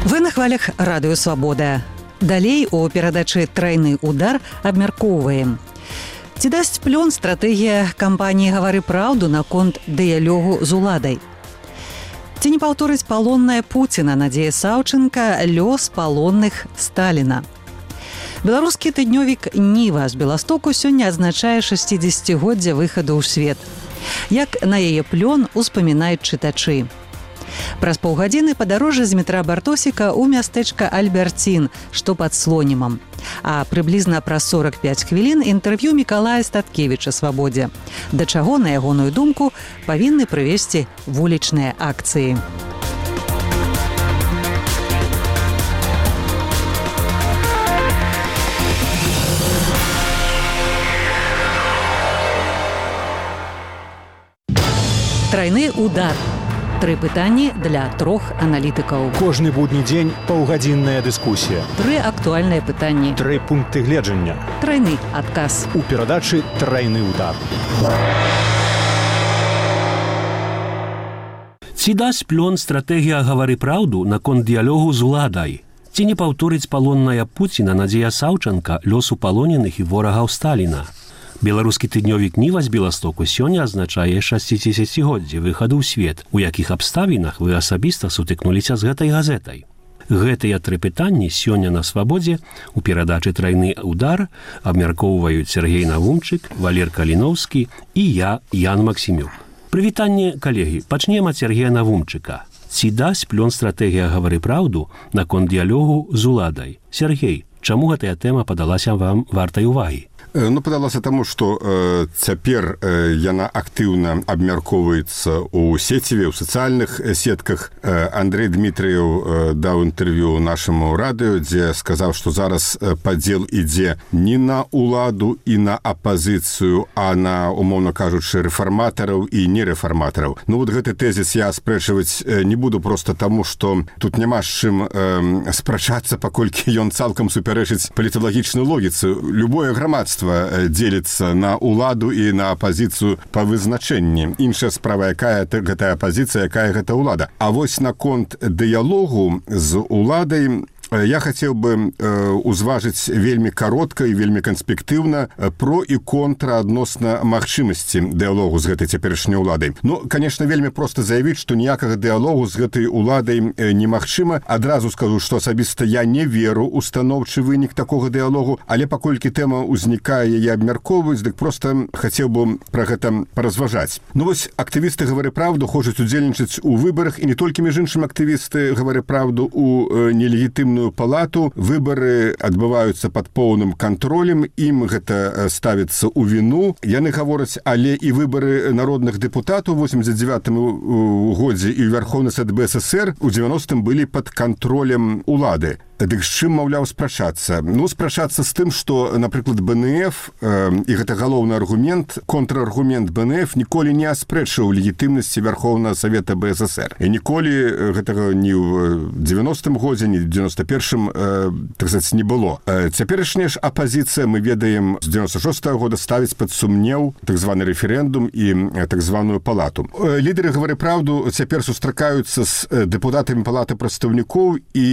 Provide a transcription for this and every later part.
Вы на хвалях радыё «Свабода». Далей у перадачы «Трайны удар» абмяркоўваем. Ці дасць плён стратэгія кампаніі «Гавары праўду» наконт дыялогу з уладай? Ці не паўторыць палонная Пуціна Надзея Саўченка лёс палонных Сталіна? Беларускі тыднёвік «Ніва» з Беластоку сёння адзначае 60-годдзе выхаду ў свет. Як на яе плён успамінаюць чытачы. Праз паўгадзіны падарожжа з метра Бартосіка ў мястэчка Альберцін, што пад Слонімам. А прыблізна праз 45 хвілін інтэрв'ю Мікалая Статкевіча «Свабодзе». Да чаго, на ягоную думку, павінны прывесці вулічныя акцыі. Трайны удар. 3 пытанні для 3 аналітыкаў. Кожны будні дзень паўгадзінная дыскусія. 3 актуальныя пытанні. 3 пункты гледжання. Трайны адказ. У перадачы «Трайны удар». Ці дасць плён стратэгія «Гавары праўду» наконт дыялогу з уладай? Ці не паўторыць палонная Пуціна Надзея Саўченка лёсу палоненых і ворагаў Сталіна? Беларускі тыднёвік «Ніва» з Беластоку сёння азначае 60-годдзе выхаду ў свет, у якіх абставінах вы асабіста сутыкнуліся з гэтай газетай. Гэтыя 3 пытанні сёння на «Свабодзе» у перадачы «Трайны удар» абмяркоўваюць Сергей Навумчык, Валер Каліноўскі і я, Ян Максімюк. Прывітанне, калегі, пачнем ад Сергея Навумчыка. Ці дасць плён стратэгія «Гавары праўду» наконт дыялогу з уладай? Сергей, чаму гэтая тэма падалася вам вартай увагі? Падалася таму, што цяпер яна актыўна абмяркоўваецца ў сеціве, ў сацыяльных сетках. Андрэй Дмітрыеў даў інтэрв'ю нашаму радыё, дзе сказаў, што зараз падзел ідзе не на ўладу і на апазіцыю, а на, умоўна кажучы, рэфарматараў і нерэфарматараў. Гэты тэзіс я аспрэчваць не буду проста таму, што тут няма з чым спрачацца, паколькі ён цалкам супярэчыць паліталагічнай логіцы. Любое грамадства дзеліцца на ўладу і на апазіцыю па вызначэнні. Іншая справа, якая гэтая апазіцыя, якая гэта ўлада. А вось наконт дыялогу з уладай я хацеў бы узважыць вельмі каротка і вельмі канспектыўна про і контра адносна магчымасці дыялогу з гэтай цяперашняй уладай. Канешне, вельмі проста заявіць, што ніякага дыялогу з гэтай уладай немагчыма. Адразу скажу, што асабіста я не веру ў станоўчы вынік такога дыялогу, але паколькі тэма ўзнікае, яе абмяркоўваюць, дык проста хацеў бы пра гэта паразважаць. Вось актывісты «Гавары праўду» хочуць удзельнічаць у выбарах, і не толькі, між іншым, актывісты «Гавары праўду» у нелегітымную палату. Выбары адбываюцца пад поўным кантролем, ім гэта ставіцца ў віну. Яны гавораць, але і выбары народных дэпутатаў у 89-м годзе і Верховны Сад БССР у 90-м былі пад кантролем улады. Дык з чым, маўляў, спрачацца? Спрачацца з тым, што, напрыклад, БНФ, і гэта галоўны аргумент, контраргумент БНФ ніколі не аспрэчыў легітымнасці Верховнага Савета БССР. І ніколі гэтага ні ў 90-м годзе, ні ў 91-м, так сказаць, не было. Цяперашняя ж апазіцыя, мы ведаем, з 96-го года ставіць пад сумнеў так званы рэферэндум і так званую палату. Лідары «Гавары праўду» цяпер сустракаюцца з дэпутатамі палаты прадстаўнікоў, і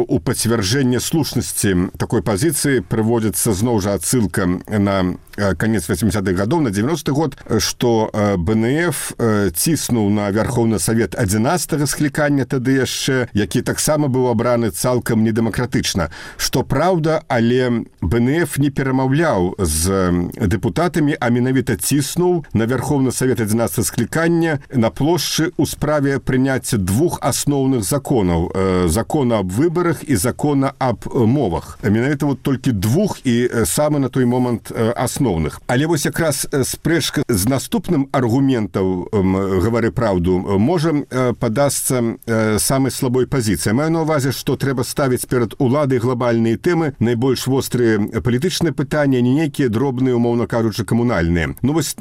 у пацвярджэнне слушнасці такой пазіцыі прыводзіцца зноў жа адсылка на канец 80-х гадоў, на 90-й год, што БНФ ціснуў на Верховны Савет 11-го склікання тады яшчэ, які таксама быў абраны цалкам недэмакратычна. Што праўда, але БНФ не перамаўляў з дэпутатамі, а менавіта ціснуў на Верховны Савет 11-го склікання на плошчы ў справе прыняцця 2 асноўных законаў. Закона аб выбарах і закона аб мовах. Менавіта толькі 2 і самы на той момант асноўных. Але вось якраз спрэчка з наступным аргументам «Гавары праўду» можа падасца самай слабой пазіцыі. Маю на ўвазе, што трэба ставіць перад уладай глобальныя тэмы, найбольш вострыя палітычныя пытанні, не нейкія дробныя, умоўна кажучы, камунальныя. Вось,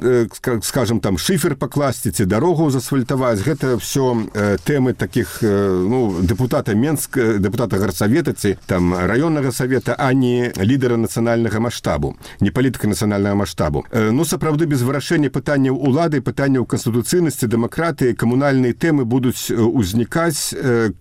скажам, там шыфер пакласці ці дарогу засфальтаваць, гэта ўсё тэмы такіх, дэпутата Менска, дэпутата Гарсавета ці там раённага савета, а не лідара нацыянальнага маштабу, не палітыка нацыянальнага нацыянальнага маштабу. Ну, сапраўды, без вырашэння пытанняў улады, пытанняў канстытуцыйнасці, дэмакратыі, камунальныя тэмы будуць узнікаць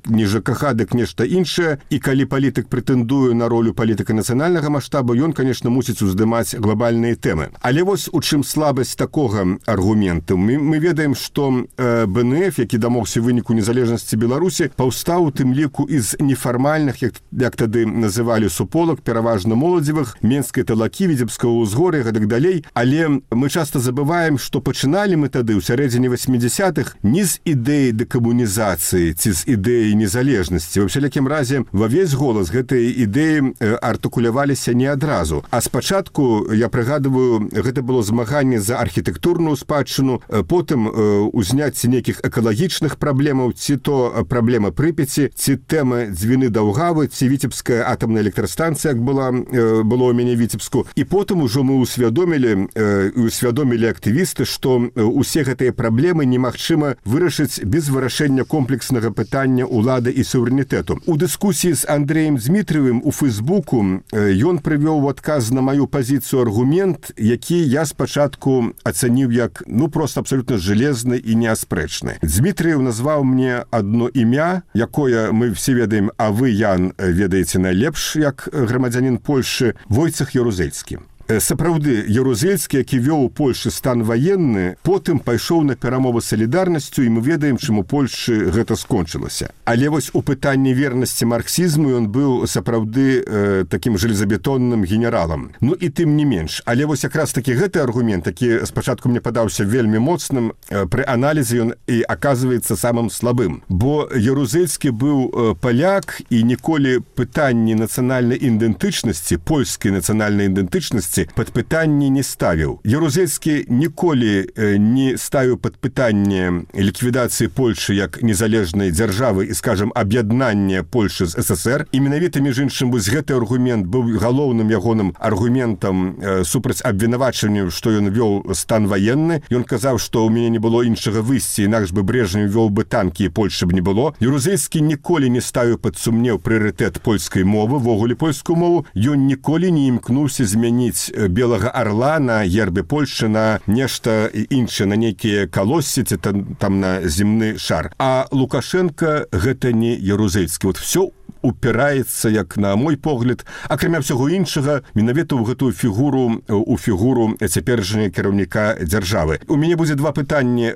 не ЖКХ, дык нешта іншае, і калі палітык прэтэндуе на ролю палітыка нацыянальнага маштабу, ён, конечно, мусіць уздымаць глобальныя тэмы. Але вось у чым слабасць такога аргументу. Мы ведаем, што БНФ, які дамогся выніку незалежнасці Беларусі, паўстаў у тым ліку з нефармальных, як тады называлі суполак, пераважна моладзевых, Менскай талакі, Віцебскага ўзгор'я, гэтак далей. Але мы часта забываем, што пачыналі мы тады ў сярэдзіне 80-х не з ідэі дэкамунізацыі ці з ідэі незалежнасці. Ва ўсялякім разе, ва ўвесь голас гэтыя ідэі артыкуляваліся не адразу. А спачатку, я прыгадываю, гэта было змаганне за архітэктурную спадчыну, потым узняцце нейкіх экалагічных праблемаў, ці то праблема Прыпяці, ці тэма Дзвіны Даўгавы, ці Віцебская атамная электрастанцыя, як было ў мяне Віцебску. І потым ужо мы усвядомілі актывісты, што усе гэтыя праблемы немагчыма вырашыць без вырашэння комплекснага пытання улады і суверэнітэту. У дыскусіі з Андрэем Дмітриевым у Фейсбуку ён прывёў у адказ на маю пазіцыю аргумент, які я спачатку ацаніў як, просто абсолютна жалезны і неаспрэчны. Дмітриев назваў мне адно імя, якое мы все ведаем, а вы, Ян, ведаеце найлепш, як грамадзянін Польшы, Войцех Ярузельскі. Сапраўды, Ярузельскі, які вёў у Польшы стан ваенны, потым пайшоў на перамовы з салідарнасцю, і мы ведаем, чым у Польшы гэта скончылася. Але вось у пытанні вернасці марксізму ён быў сапраўды такім жалезабетонным генералам. Ну і тым не менш. Але вось якраз такі гэты аргумент, які спачатку мне падаўся вельмі моцным, пры аналізе ён і аказваецца самым слабым. Бо Ярузельскі быў паляк, і ніколі пытанні нацыянальнай ідэнтычнасці, польскай нацыянальнай ідэнтычнасці пад пытанне не ставіў. Ярузельскі ніколі не ставіў пад пытанне ліквідацыі Польшы як незалежнай дзяржавы і, скажам, аб'яднання Польшы з ССР. І менавіта, між іншым, вось гэты аргумент быў галоўным ягоным аргументам супраць абвінавачанню, што ён вёў стан ваенны. Ён казаў, што ў мяне не было іншага выйсця, інакш бы Брежнев вёў бы танкі, і Польшы б не было. Ярузельскі ніколі не ставіў пад сумнеў прыярытэт польскай мовы, вогуле польскую мову. Ён ніколі не імкнуўся змяніць белага арла на гербе Польшчы на нешта іншае, на нейкія калоссі, ці там на земны шар. А Лукашенко гэта не Ярузельскі. Вот все упіраецца, як на мой погляд, акрамя ўсяго іншага, менавіта ў гэтую фігуру, у фігуру цяперашняга кіраўніка дзяржавы. У мяне будзе два пытанні.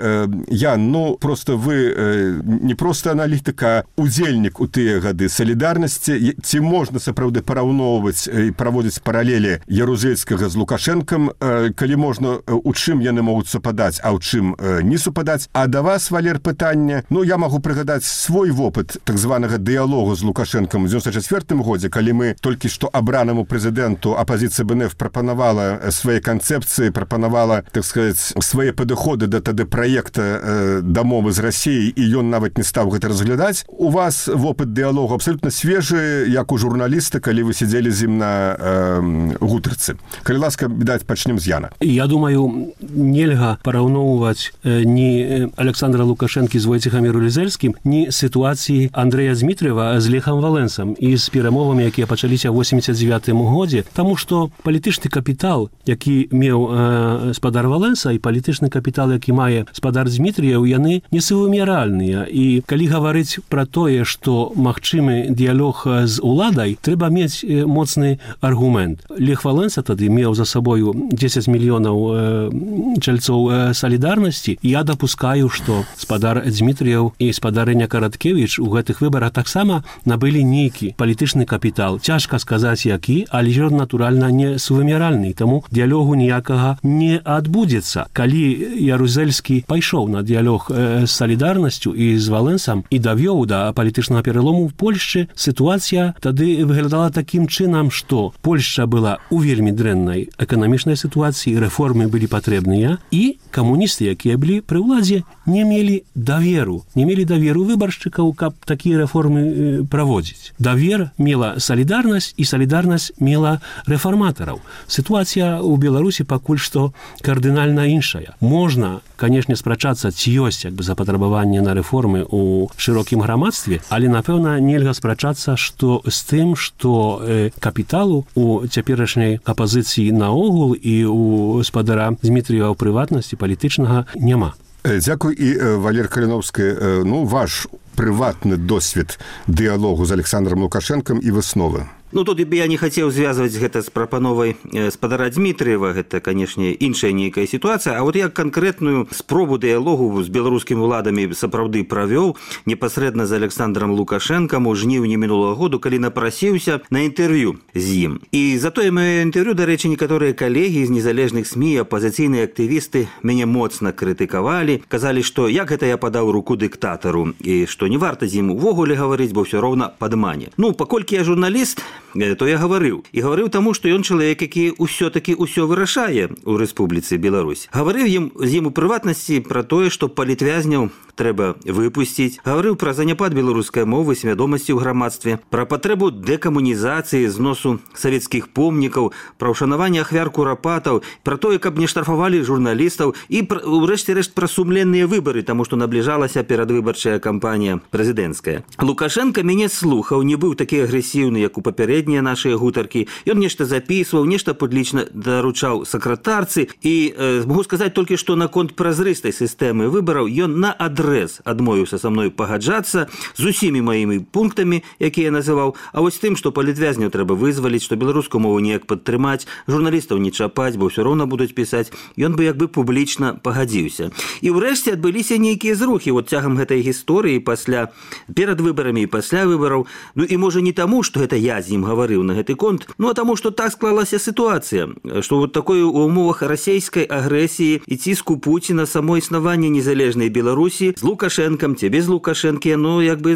Ян, просто вы не проста аналітыка, удзельнік у тыя гады салідарнасці. Ці можна сапраўды параўноўваць і праводзіць паралелі Ярузельскага з Лукашэнкам, калі можна, у чым яны могуць супадаць, а ў чым не супадаць. А да вас, Валер, пытанне. Я магу прыгадаць свой вопыт так званага дыялогу з Лукашэнкам у 1994 годзе, калі мы толькі што абранаму прэзідэнту апазіцыя БНФ прапанавала свае канцэпцыі, прапанавала, так сказаць, свае падыходы да тады праекта дамовы з Расіяй, і ён нават не стаў гэта разглядаць. У вас вопыт дыялогу абсолютна свежы, як у журналіста, калі вы сидзелі з ім на гутарцы. Калі ласка, відаць, пачнем з Яна. Я думаю, нельга параўноўваць ні Александра Лукашэнкі з Войцехам Ярузельскім, ні сітуацыі Андрэя Дмітриева з Лехам Валенсам і з перамовамі, якія пачаліся ў 89 годзе, таму што палітычны капітал, які меў спадар Валенса, і палітычны капітал, які мае спадар Дмітріеў, яны несувымяральныя. І калі гаварыць пра тое, што магчымы дыялог з уладай, трэба мець моцны аргумент. Лех Валенса тады меў за сабою 10 мільёнаў чальцоў салідарнасці. Я дапускаю, што спадар Дмітріеў і спадарыня Караткевіч у гэтых выбарах таксама набылі нейкі палітычны капітал. Цяжка сказаць, які, але ён, натуральна, не сувымяральны, таму дыялогу ніякага не адбудзецца. Калі Ярузельскі пайшоў на дыялог з салідарнасцю і з Валенсам і давёў да палітычнага пералому ў Польшчы, сітуацыя тады выглядала такім чынам, што Польшча была у вельмі дрэннай эканамічнай сітуацыі, рэформы былі патрэбныя, і камуністы, якія былі пры ўладзе, не мелі даверу выбаршчыкаў, каб такія рэформы праводзіць. праходзіць. Давер мела салідарнасць, і салідарнасць мела рэфарматараў. Сітуацыя ў Беларусі пакуль што кардынальна іншая. Можна, канешне, спрачацца, ці ёсць запатрабаванне на рэформы ў шырокім грамадстве, але, напэўна, нельга спрачацца з тым, што капіталу у цяперашняй апазіцыі наогул і у спадара Дмітрыева ў прыватнасці палітычнага няма. Дзякуй. І, Валерія Каліновская, ваш прыватны досвед дыялогу з Александром Лукашэнкам і высновы. Тут я не хацеў звязваць гэта з прапановай спадара Дмітрыева, гэта, канешне, іншая нейкая сітуацыя, а я канкрэтную спробу дыялогу з беларускімі ўладамі сапраўды правёў непасрэдна з Александром Лукашэнкам у жніўні мінулага году, калі напрасіўся на інтэрв'ю з ім. І затое маё інтэрв'ю, дарэчы, некаторыя калегі з незалежных СМІ, апазіцыйныя актывісты мяне моцна крытыкавалі, казалі, што як гэта я падаў руку дыктатару і што не варта з ім увогуле гаварыць, бо ўсё роўна падмане. Паколькі я журналіст, то я гаварыў. І гаварыў таму, што ён чалавек, які ўсё-такі ўсё вырашае ў Рэспубліцы Беларусь. Гаварыў з ім у прыватнасці пра тое, што палітвязняў трэба выпусціць. Гаварыў пра заняпад беларускай мовы, свядомасці ў грамадстве, пра патрэбу дэкамунізацыі, зносу савецкіх помнікаў, пра ўшанаванне ахвяр курапатаў, пра тое, каб не штрафавалі журналістаў і, урэшце-рэшт, пра сумленныя выбары, таму што набліжалася перадвыбарчая кампанія прэзідэнцкая. Лукашенко мяне слухаў, не быў такі агрэсіўны, як у папярэднія нашыя гутаркі. Ён нешта запісваў, нешта публічна даручаў сакратарцы і магу сказаць толькі, што наконт празрыстай сістэмы выбараў ён наадрэз адмовіўся са мной пагаджацца з усімі маімі пунктамі, якія я называў, а вось тым, што палітвязняў трэба вызваліць, што беларускую мову неяк падтрымаць, журналістаў не чапаць, бо ўсё роўна будуць пісаць, ён бы публічна пагадзіўся. І ўрэшце адбыліся нейкія зрухі цягам гэтай гісторыі перад выбарамі і пасля выбараў. І можа не таму, што гэта я з ім гаварыў на гэты конт, а таму, што так склалася сітуацыя, што такой у умовах расійскай агрэсіі і ціску Пуціна само існаванне незалежнай Беларусі з Лукашэнкам ці без Лукашэнкі,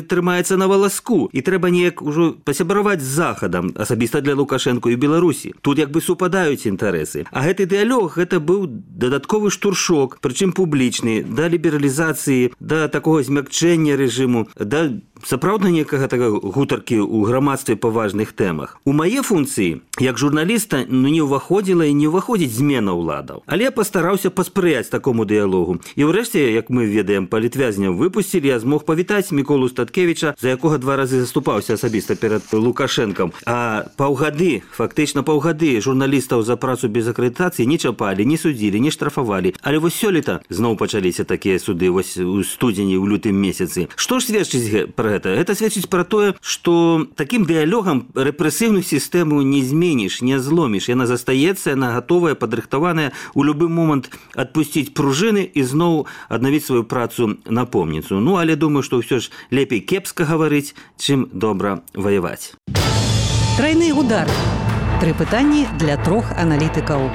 трымаецца на валаску. І трэба неяк ужо пасябраваць з Захадам, асабіста для Лукашэнку і Беларусі. Тут супадаюць інтарэсы. А гэты дыялог, гэта быў дадатковы штуршок, прычым публічны, да лібералізацыі, да такога змякчэння рэжыму, да сапраўдна некага гутаркі ў грамадстве па важных тэмах. У мае функцыі, як журналіста, не ўваходзіла і не ўваходзіць змена ўладаў. Але я пастараўся паспрыяць такому дыялогу. І ўрэшце, як мы ведаем, палітвязняў выпусцілі, я змог павітаць Міколу Статкевіча, за якога 2 разы заступаўся асабіста перад Лукашэнкам. А фактычна паўгады журналістаў за працу без акрэдытацыі не чапалі, не судзілі, не штрафавалі. Але сёлета зноў пачаліся такія суды у студзені, ў лютым месяцы. Што ж сведчыць пра гэта? Гэта сведчыць пра тое, што такім дыялогам рэпрэсіўную сістэму не зменіш, не зломіш. Яна застаецца, яна гатовая, падрыхтаваная у любы момант адпусціць пружыны і зноў аднавіць сваю працу напомніцу. Але думаю, што ўсё ж лепей кепска гаварыць, чым добра ваяваць. Трайны удар. 3 пытанні для 3 аналітыкаў.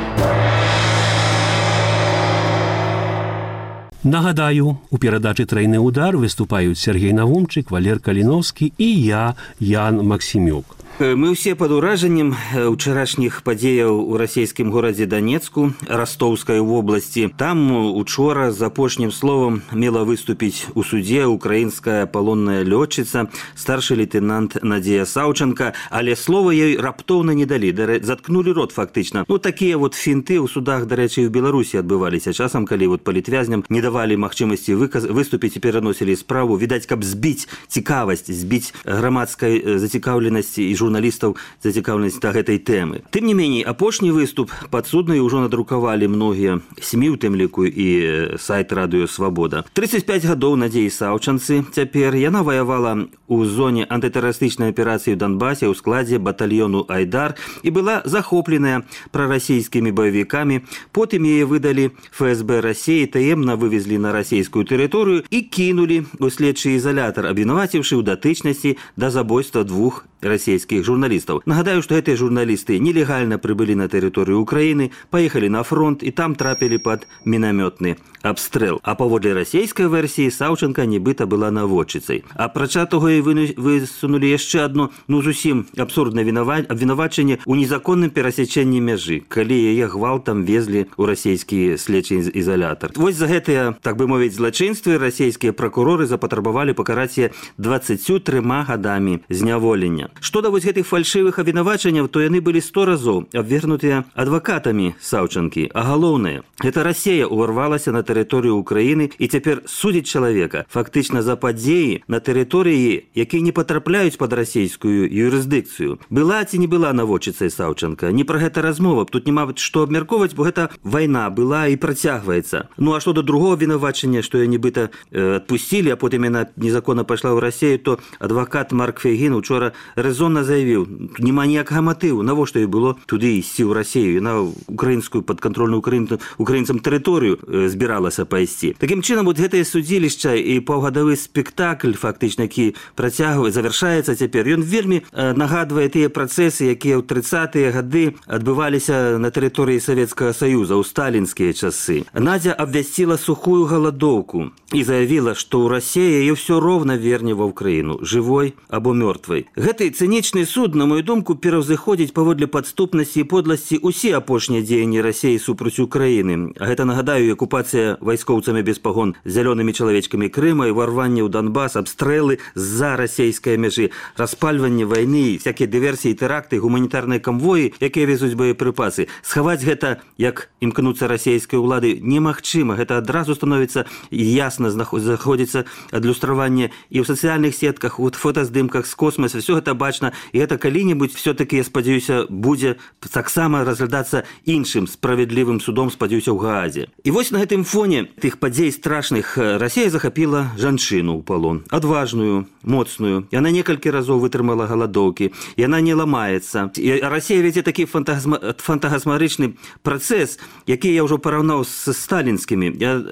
Нагадаю, у перадачы «Трайны удар» выступаюць Сергей Навумчык, Валер Каліновскі і я, Ян Максімюк. Мы ўсе пад уражаннем учарашніх падзеяў у расійскім горадзе Данецку, Растоўскай вобласці. Там учора з апошнім словам мела выступіць у судзе украінская палонная лётчыца, старшы лейтенант Надзея Саўчанка, але слова ёй раптоўна не далі, заткнулі рот фактычна. Такія фінты ў судах, дарэчы, у Беларусі адбываліся часам, калі палітвязням не давалі магчымасці выступіць і пераносілі справу, відаць, каб збіць цікавасць, збіць грамадскай зацікаўленасці і журналістаў зацікаўленасць да гэтай тэмы. Тым не меней, апошні выступ падсудныя ўжо надрукавалі многія СМІ, у тым ліку і сайт Радыё Свабода. 35 гадоў Надзеі Саўчанцы цяпер. Яна ваявала ў зоне антытэрарыстычнай аперацыі ў Донбасе ў складзе батальёну «Айдар» і была захопленая прарасійскімі баевікамі. Потым яе выдалі ФСБ Расіі, таемна вывезлі на расійскую тэрыторыю і кінулі ў следчы ізалятар, абвінаваціўшы ў датычнасці да забойства 2 расійскіх журналістаў. Нагадаю, што гэтыя журналісты нелегальна прыбылі на тэрыторыю Украіны, паехалі на фронт і там трапілі пад мінамётны абстрэл. А паводле расійскай версіі Саўчанка нібыта была наводчыцай. Апрача того і высунулі яшчэ адно, зусім абсурднае абвінавачанне ў незаконным перасячэнні мяжы, калі яе гвалтам везлі ў расійскі следчы ізалятар. Вось за гэтыя, так бы мовіць, злачынствы расійскія пракуроры запатрабавалі пакараць яе 23 гадамі зняволення. Што да вось гэтых фальшывых абвінавачанняў, то яны былі 100 разоў абвергнутыя адвакатамі Саўчанкі. А галоўнае, гэта Расія ўварвалася на тэрыторыю Украіны і цяпер судзіць чалавека фактычна за падзеі на тэрыторыі, якія не патрапляюць пад расійскую юрысдыкцыю. Была ці не была наводчыцай Саўчанка? Не пра гэта размова. Тут няма што абмяркоўваць, бо гэта вайна была і працягваецца. А што да другого абвінавачання, што я нібыта адпусцілі, а потым яна незаконна пайшла ў Расію, то адвакат Марк Фейгін учора рэзонна заявіў, няма ніякага матыву, навошта ёй было туды ісці ў Расію. Яна украінскую падкантрольную украінцам тэрыторыю збіралася пайсці. Такім чынам, вот гэтае судзілішча і паўгадавы спектакль, фактычна, які завяршаецца цяпер, ён вельмі нагадвае тыя працэсы, якія ў 30-е гады адбываліся на тэрыторыі Савецкага Саюза ў сталінскія часы. Надзя абвясціла сухую галадоўку і заявіла, што ў Расіі яе ўсё роўна верне ва ўкраіну, жывой або мёртвай. Гэты цынічны суд, на мою думку, пераўзыходзіць паводле падступнасці і подласці ўсе апошнія дзеянні Расіі супраць Украіны. А гэта, нагадаю, акупацыя вайскоўцамі без пагон зялёнымі чалавечкамі Крыма, ўварванне ў Донбас, абстрэлы з-за расійскай мяжы, распальванне вайны, всякія дыверсіі, тэракты, гуманітарныя камвоі, якія везуць боепрыпасы. Схаваць гэта, як імкнуцца расійскай улады, немагчыма. Гэта адразу становіцца ясна, заходзіцца адлюстраванне і ў сацыяльных сетках, у фотаздымках з космоса, все гэта бачна, і гэта калі-небудзь все-таки, я спадзяюся, будзе таксама разглядацца іншым справядлівым судом, спадзяюся, ў Гаазе. І вось на гэтым фоне тых падзей страшных Расія захапіла жанчыну ў палон, адважную, моцную. Яна некалькі разоў вытрымала галадоўкі, яна не ламаецца. І Расія вядзе такі фантагасмарычны працэс, які я ўжо параўнаў з сталінскімі. Я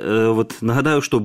нагадаю, што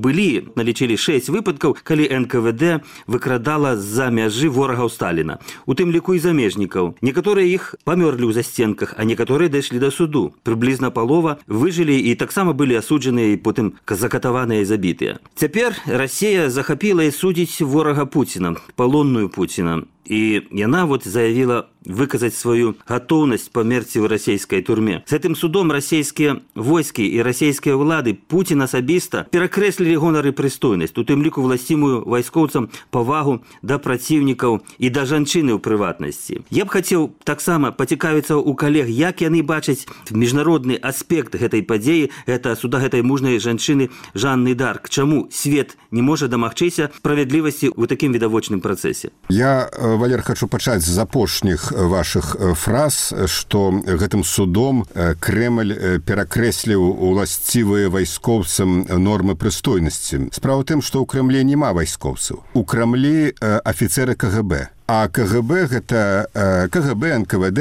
налічылі 6 выпадкаў, калі НКВД выкрадала з-за мяжы ворагаў Сталіна. У тым ліку і замежнікаў. Некаторыя іх памёрлі ў засценках, а некаторыя дайшлі да суду. Прыблізна палова выжылі і таксама былі асуджаныя і потым закатаваныя і забітыя. Цяпер Расія захапіла і судзіць ворага Пуціна, палонную Пуціна. І яна заявіла выказаць сваю гатоўнасць памерці ў расійскай турме. З гэтым судом расійскія войскі і расійскія ўлады, Пуцін асабіста перакрэслілі гонар і прыстойнасць, у тым ліку власцімую вайскоўцам павагу да праціўнікаў і да жанчыны ў прыватнасці. Я б хацеў таксама пацікавіцца ў калег, як яны бачаць міжнародны аспект гэтай падзеі, гэта суда гэтай мужнай жанчыны Жанны Дарк. Чаму свет не можа дамагчыся справядлівасці ў такім відавочным працэсе? Валер, хочу пачаць з апошніх вашых фраз, што гэтым судом Крэмль перакрэсліў уласцівыя вайскоўцам нормы прыстойнасці. Справа ў тым, што ў Крэмлі няма вайскоўцаў. У Крамлі афіцеры КГБ. А КГБ гэта КГБ, НКВД,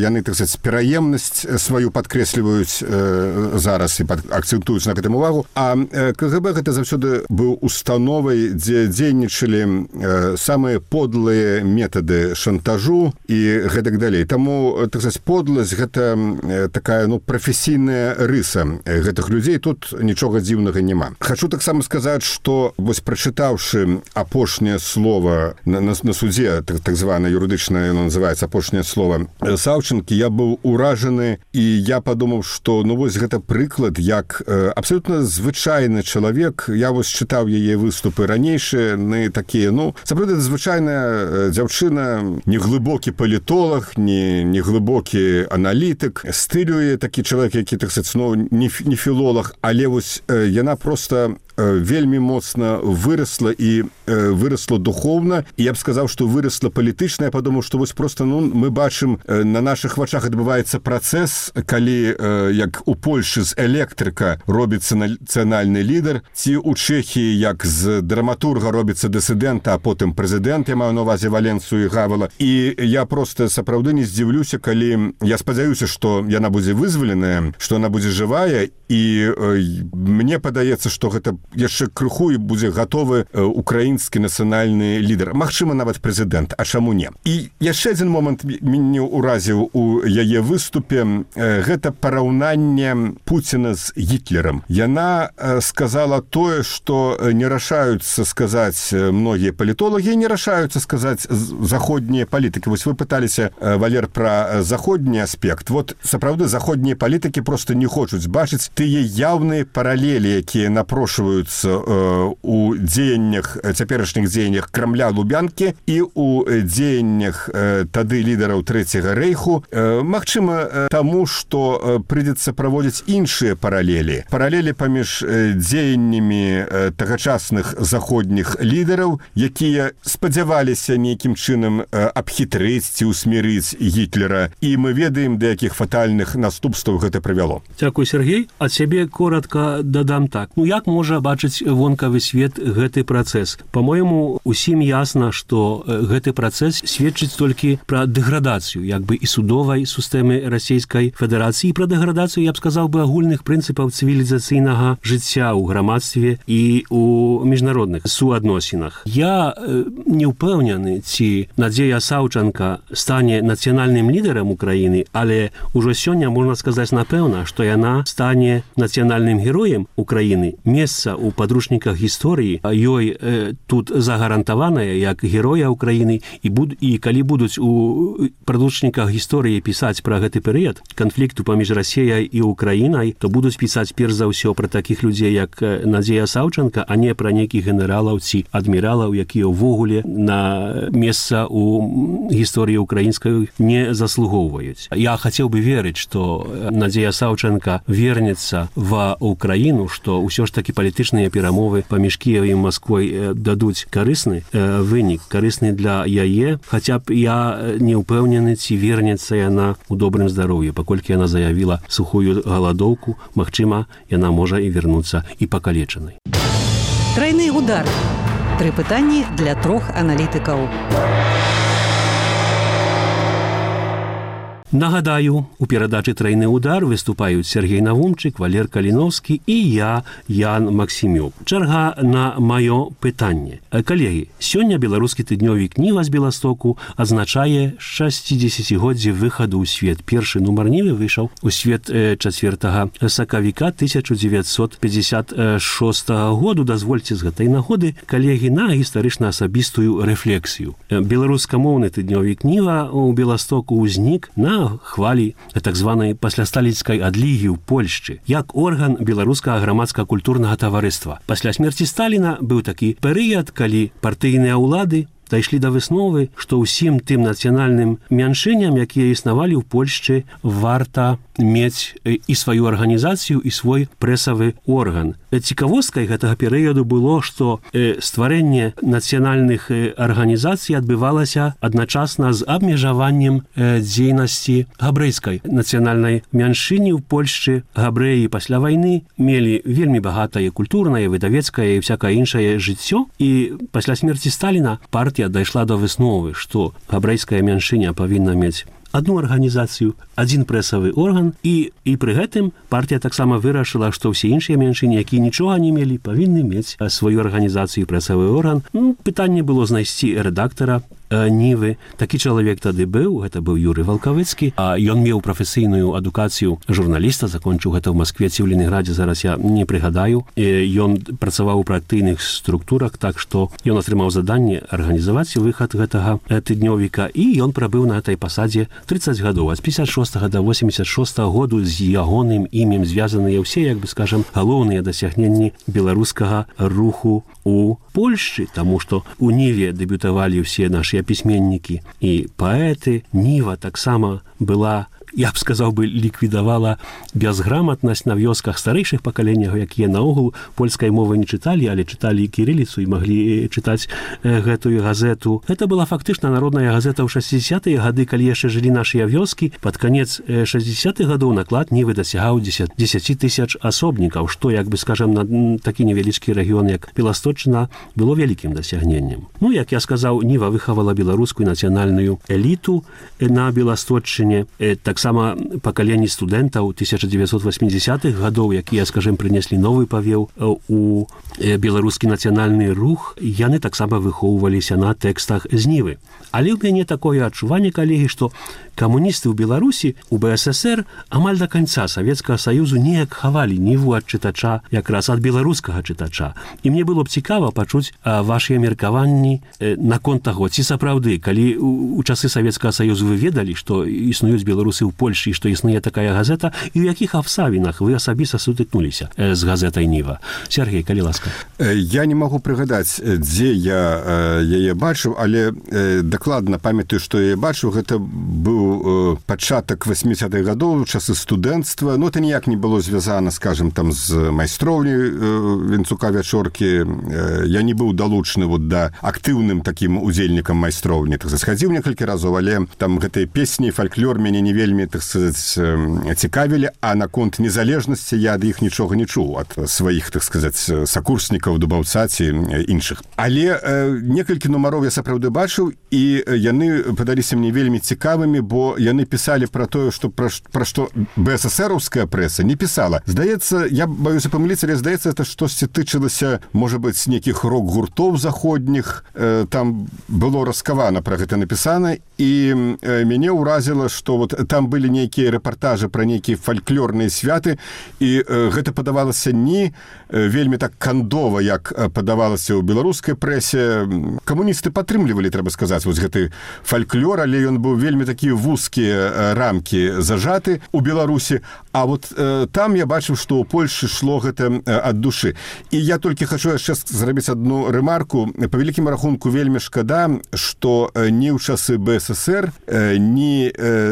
яны, так сказаць, пераемнасць сваю падкрэсліваюць зараз і акцэнтуюць на гэтым увагу. А КГБ гэта заўсёды быў установай, дзе дзейнічалі самыя подлыя метады шантажу і гэтак далей. Таму, так сказаць, подласць гэта такая, прафесійная рыса гэтых людзей, тут нічога дзіўнага няма. Хачу таксама сказаць, што вось прачытаўшы апошняе слова на судзе, так звана юрыдычна яно называецца апошняе слова Саўчанкі, я быў уражаны і я падумаў, што вось гэта прыклад, як абсалютна звычайны чалавек, я вось чытаў яе выступы ранейшыя, такія, сапраўды звычайная дзяўчына, не глыбокі палітолог, не глыбокі аналітык, стылюе такі чалавек, які, так сказаць, не філолог, але вось яна проста вельмі моцна вырасла і вырасла духоўна, і я б сказаў, што вырасла палітычна. Я падумаў, што вось проста мы бачым, на нашых вачах адбываецца працэс, калі, як у Польшы з электрыка робіцца нацыянальны лідар, ці ў Чэхіі, як з драматурга робіцца дысідэнт, а потым прэзідэнт, я маю на ўвазе Валенцу і Гавала. І я проста сапраўды не здзіўлюся, калі я спадзяюся, што яна будзе вызваленая, што яна будзе жывая, і мне падаецца, што гэта яшчэ крыху і будзе гатовы украінскі нацыянальны лідар, магчыма, нават прэзідэнт, а чаму не? І яшчэ адзін момант мяне ўразіў у яе выступе, гэта параўнанне Пуціна з Гітлерам. Яна сказала тое, што не рашаюцца сказаць многія палітолагі, не рашаюцца сказаць заходнія палітыкі. Вось вы пыталіся, Валер, пра заходні аспект. Вот, сапраўды, заходнія палітыкі просто не хочуць бачыць тыя яўныя паралелі, якія напрошваюцца у дзеяннях, цяперашніх дзеяннях Крамля, Лубянкі і у дзеяннях тады лідараў Трэцяга рэйху. Магчыма, таму, што прыйдзецца праводзіць іншыя паралелі. Паралелі паміж дзеяннямі тагачасных заходніх лідараў, якія спадзяваліся нейкім чынам абхітрыць ці усмірыць Гітлера. І мы ведаем, да якіх фатальных наступстваў гэта прывяло. Дзякуй, Сергей. Ад сябе коротка дадам так. Як можа бачыць вонкавы свет гэты працэс? Па-мойму, усім ясна, што гэты працэс сведчыць толькі пра дэградацыю, як бы і судовай сістэмы Расійскай Федэрацыі, пра дэградацыю, я б сказаў бы, агульных прынцыпаў цывілізацыйнага жыцця ў грамадстве і ў міжнародных суадносінах. Я не ўпэўнены, ці Надзея Саўчанка стане нацыянальным лідарам Украіны, але ўжо сёння можна сказаць напэўна, што яна стане нацыянальным героем Украіны. Месца ў падручніках гісторыі ёй тут загарантаванае як героя Украіны, і калі будуць у падручніках гісторыі пісаць пра гэты перыяд канфлікту паміж Расіяй і Украінай, то будуць пісаць перш за ўсё пра такіх людзей, як Надзея Саўчанка, а не пра нейкіх генералаў ці адміралаў, якія ўвогуле на месца ў гісторыі украінскай не заслугоўваюць. Я хацеў бы верыць, што Надзея Саўчанка вернецца в Украіну, што ўсё ж такі палітычныя перамовы паміж Кіевам і Масквой дадуць карысны вынік, карысны для яе, хаця б я не ўпэўнены, ці вернецца яна ў добрым здароўі, паколькі яна заявіла сухую галадоўку, магчыма, яна можа і вернуцца і пакалечанай. Трайны удар. 3 пытанні для 3 аналітыкаў. Нагадаю, у перадачы «Трайны удар» выступаюць Сергей Навумчык, Валер Каліновскі і я, Ян Максімюк. Чарга на маё пытанне. Калегі, сёння беларускі тыднёвік «Ніва» з Беластоку адзначае 60-годдзе выхаду ў свет. Першы нумар «Нівы» выйшаў у свет 4 сакавіка 1956 году. Дазвольце з гэтай нагоды, калегі, на гістарычна-асабістую рэфлексію. Беларускамоўны тыднёвік «Ніва» у Беластоку ўзнік на хвалі так званай паслясталіцкай адлігі ў Польшчы, як орган беларускага грамадска-культурнага таварыства. Пасля смерці Сталіна быў такі перыяд, калі партыйныя ўлады дайшлі да высновы, што ўсім тым нацыянальным мяншыням, якія існавалі ў Польшчы, варта мець і сваю арганізацыю, і свой прэсавы орган. Цікавосткай гэтага перыяду было, што стварэнне нацыянальных арганізацый адбывалася адначасна з абмежаваннем дзейнасці габрэйскай нацыянальнай мяншыні ў Польшчы. Габрэі пасля вайны мелі вельмі багатае культурнае, выдавецкае і всякае іншае жыццё, і пасля смерці Сталіна партыя дайшла да высновы, што габрэйская мяншыня павінна мець одну арганізацыю, адзін прэсавы орган, і пры гэтым партія таксама вырашыла, што ўсе іншыя мяншыны, якія нічога не мелі, павінны мець сваю арганізацыю, прэсавы орган. Пытанне было знайсці рэдактара Нівы. Такі чалавек тады быў, гэта быў Юрый Валкавыцкі, а ён меў прафесійную адукацыю журналіста, закончыў гэта ў Маскве ці ў Леніградзе, зараз я не прыгадаю. Ён працаваў у партыйных структурах, так што ён атрымаў заданне арганізаваць выхад гэтага тыднёвіка, і ён прабыў на этой пасадзе 30 гадоў. Ад 56 до 86 году з ягоным імем звязаныя ўсе, як бы скажам, галоўныя дасягненні беларускага руху у Польшчы, таму што у Ніве дэбютавалі ўсе нашы пісьменнікі і паэты. Ніва таксама была, я б сказаў бы, ліквідавала бязграmatнасць на вёсках старэйшых пакаленняў, якія наогул польскай мовы не чыталі, але чыталі кірыліцу і маглі чытаць гэтую газету. Гэта была фактычна народная газета ў 60-е гады, калі яшчэ жылі нашыя вёскі. Пад канец 60-х гадоў наклад Нівы дасягаў 10 тысяч асобнікаў, што, як бы скажам, на такі невялічкі рэгіён, як Беласточчына, было вялікім дасягненнем. Як я сказаў, Ніва выхавала беларускую нацыянальную эліту на Беласточчыне. Таксама таксама пакаленні студэнтаў 1980-х гадоў, якія, скажем, прынеслі новы павеў у беларускі нацыянальны рух, яны таксама выхоўваліся на тэкстах з Нівы. Але ў мяне такое адчуванне, калегі, што камуністы ў Беларусі, у БССР амаль да канца Савецкага Саюзу неяк хавалі Ніву ад чытача, якраз ад беларускага чытача. І мне было б цікава пачуць вашыя меркаванні наконт таго, ці сапраўды, калі у часы Савецкага Саюзу вы ведалі, што існуюць беларусы ў Польшчы, што існуе такая газета, і ў якіх абставінах вы асабіста сутыкнуліся з газетай Ніва. Сергей, калі ласка. Я не магу прыгадаць, дзе я яе бачыў, але дакладна памятаю, што я бачыў, гэта быў пачатак 80-х гадоў, часы студэнцтва. Ну, это ніяк не было звязана, скажем, там з майстроўняй Вінцука Вячоркі. Я не быў далучаны вот да актыўным такім удзельнікам майстроўні. Так схадзіў некалькі разоў, але там гэтыя песні, фальклор мяне не вельмі, так сказаць, цікавілі, а наконт незалежнасці я ад іх нічога не чуў, ад сваіх, так сказаць, сакурснікаў, дубаўца ці іншых. Але некалькі нумароў я сапраўды бачыў, і яны падаліся мне вельмі цікавымі, бо яны пісалі пра тое, што пра што БССРаўская прэса не пісала. Здаецца, я баюся памыліцца, але здаецца, это штосьці тычылася, можа быць, нейкіх рок-гуртоў заходніх. Там было раскавана пра гэта напісана, і мяне ўразіла, што вот там былі нейкія рэпартажы пра нейкія фальклорныя святы, і гэта падавалася не вельмі так кандова, як падавалася ў беларускай прэсе. Камуністы падтрымлівалі, трэба сказаць, вось гэты фальклор, але ён быў вельмі такія вузкія рамкі зажаты ў Беларусі, а вот там я бачыў, што ў Польшчы шло гэта ад душы. І я толькі хачу яшчэ зрабіць адну рэмарку. Па вялікім рахунку вельмі шкада, што ні ў часы БССР, ні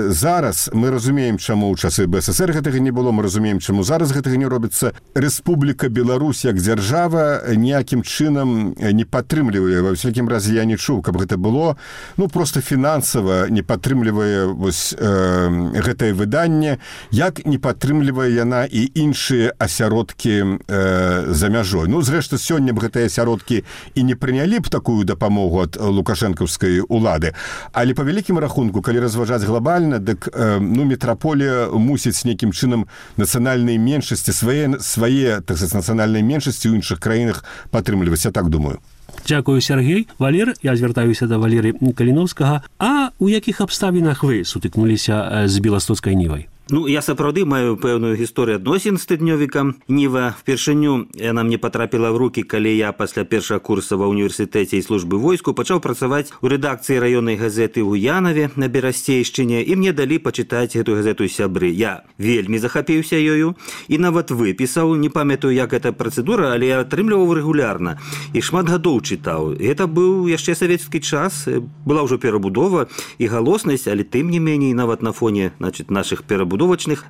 зараз, мы разумеем, чаму ў часы БССР гэтага не было, мы разумеем, чаму зараз гэтага не робіцца. Рэспубліка Беларусь як дзяржава ніякім чынам не падтрымлівае. Ва ўсякім разе я не чуў, каб гэта было, ну, просто фінансава не падтрымлівае вось гэтае выданне, як не падтрымлівае яна і іншыя асяродкі за мяжой. Ну, зрэшты, сёння б гэтыя асяродкі і не прынялі б такую дапамогу ад лукашэнкаўскай улады. Але па вялікім рахунку, калі разважаць глобальна, дык метраполія мусіць нейкім чынам нацыянальныя меншасці, свае, так сказаць, нацыянальныя меншасці ў іншых краінах падтрымліваць, я так думаю. Дзякую, Сергей. Валер, я звяртаюся да Валеры Каліновскага. А у якіх абставінах вы сутыкнуліся з беластоцкай Нівай? Ну, я сапраўды маю пэўную гісторыю адносін з тыднёвікам Ніва. Впершыню яна мне патрапіла ў рукі, калі я пасля першага курса ва ўніверсітэце і службы войску пачаў працаваць у рэдакцыі раённай газеты ў Уянаве на Берасцейшчыне, і мне далі пачытаць гэтую газету сябры. Я вельмі захапіўся ёю і нават выпісаў, не памятаю, як гэта працэдура, але я атрымліваў рэгулярна і шмат гадоў чытаў. Гэта быў яшчэ савецкі час, была ўжо перабудова і галоснасць, але тым не меней, нават на фоне, нашых перабудовачных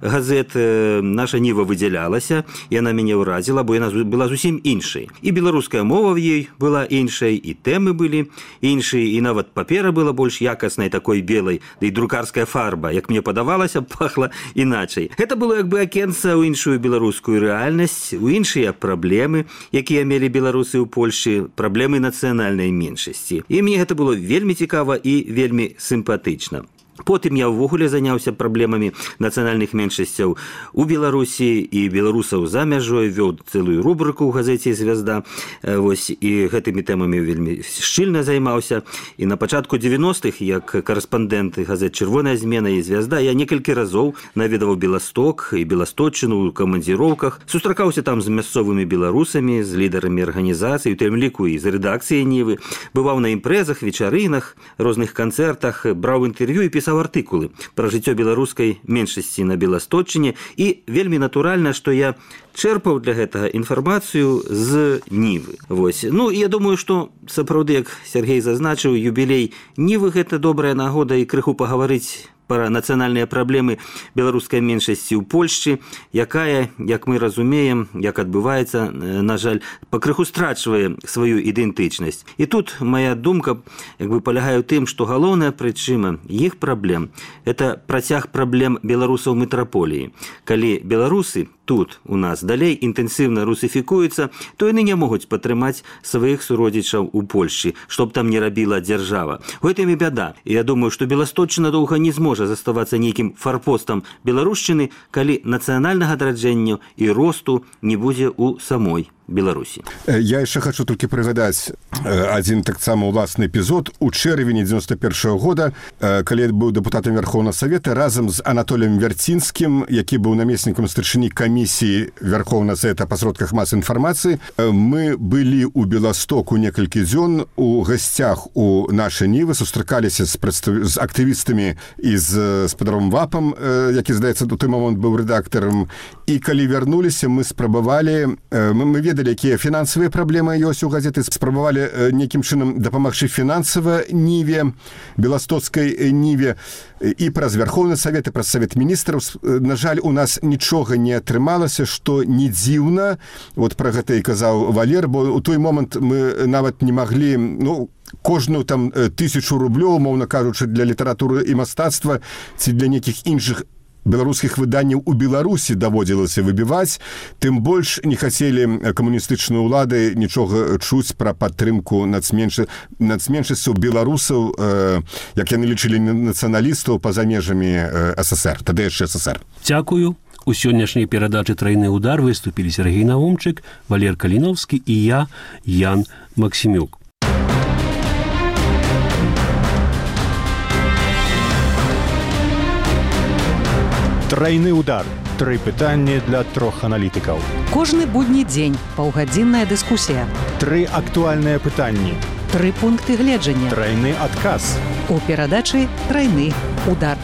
газет наша Ніва выдзялялася, яна мяне ўразіла, бо яна была зусім іншай. І беларуская мова в ёй была іншай, і тэмы былі іншыя, і нават папера была больш якаснай, такой белай, да і друкарская фарба, як мне падавалася, пахла іначай. Гэта было як бы акенца ў іншую беларускую рэальнасць, у іншыя праблемы, якія мелі беларусы ў Польшчы, праблемы нацыянальнай меншасці. І мне гэта было вельмі цікава і вельмі сімпатычна. Потым я ўвогуле заняўся праблемамі нацыянальных меншасцяў у Беларусі і беларусаў за мяжой, вёў цэлую рубрыку ў газеце «Звязда». Вось, і гэтымі тэмамі вельмі шчыльна займаўся. І на пачатку 90-х, як карэспандэнт газет «Чырвоная змена» і «Звязда», я некалькі разоў наведаваў Беласток і Беласточчыну ў камандзіроўках, сустракаўся там з мясцовымі беларусамі, з лідарамі арганізацый, у тым ліку і з рэдакцыяй Нівы, бываў на імпрэзах, вечарынах, розных канцэртах, браў інтэрв'ю і пісаў артыкулы пра жыццё беларускай меншасці на Беласточчыне, і вельмі натуральна, што я чэрпаў для гэтага інфармацыю з Нівы. Вось. Ну, я думаю, што сапраўды, як Сергей зазначыў, юбілей Нівы – гэта добрая нагода і крыху пагаварыць пра нацыянальныя праблемы беларускай меншасці ў Польшчы, якая, як мы разумеем, як адбываецца, на жаль, пакрыху страчвае сваю ідэнтычнасць. І тут моя думка як бы палягае ў тым, што галоўная прычына іх праблем – это працяг праблем беларусаў метраполіі. Калі беларусы тут у нас далей інтэнсіўна русіфікуецца, то яны не могуць падтрымаць сваіх суродзічаў у Польшчы, што б там не рабіла дзяржава. У гэтым і бяда. І я думаю, што Беласточчына доўга не зможа заставацца нейкім фарпостам беларушчыны, калі нацыянальнага адраджэння і росту не будзе ў самой Беларусі. Я яшчэ хочу толькі прыгадаць адзін таксама ўласны эпізод. У чэрвені 91-го года, калі я быў дэпутатам Верховнага Савета, разам з Анатоліем Вярцінскім, які быў намеснікам старшыні камісіі Верховнага Савета па сродках масавай інфармацыі, мы былі ў Беластоку некалькі дзён у гасцях у нашай Нівы, сустракаліся з актывістамі і з спадаром Вапам, які, здаецца, у той момант быў рэдактарам. І калі вярнуліся, мы спрабавалі, мы ведалі, якія фінансавыя праблемы ёсць у газеты, спрабавалі нейкім чынам дапамагчы фінансава Ніве, беластоцкай Ніве, і праз Верховны Савет, і праз Савет міністраў. На жаль, у нас нічога не атрымалася, што не дзіўна. Вот пра гэта і казаў Валер, бо у той момант мы нават не маглі, кожную там 1000 рублёў, умоўна кажучы, для літаратуры і мастацтва ці для нейкіх іншых беларускіх выданняў у Беларусі даводзілася выбіваць, тым больш не хацелі камуністычныя ўлады нічога чуць пра падтрымку нацменшасцяў беларусаў, як яны лічылі, нацыяналістаў па-за межамі СССР, тады яшчэ СССР. Дзякую. У сённяшняй перадачы «Трайны удар» выступілі Сергей Наумчык, Валер Каліновскі і я, Ян Максімюк. Трайны удар. 3 пытанні для 3 аналітыкаў. Кожны будні дзень паўгадзінная дыскусія. 3 актуальныя пытанні. 3 пункты гледжання. Трайны адказ. У перадачы «Трайны удар».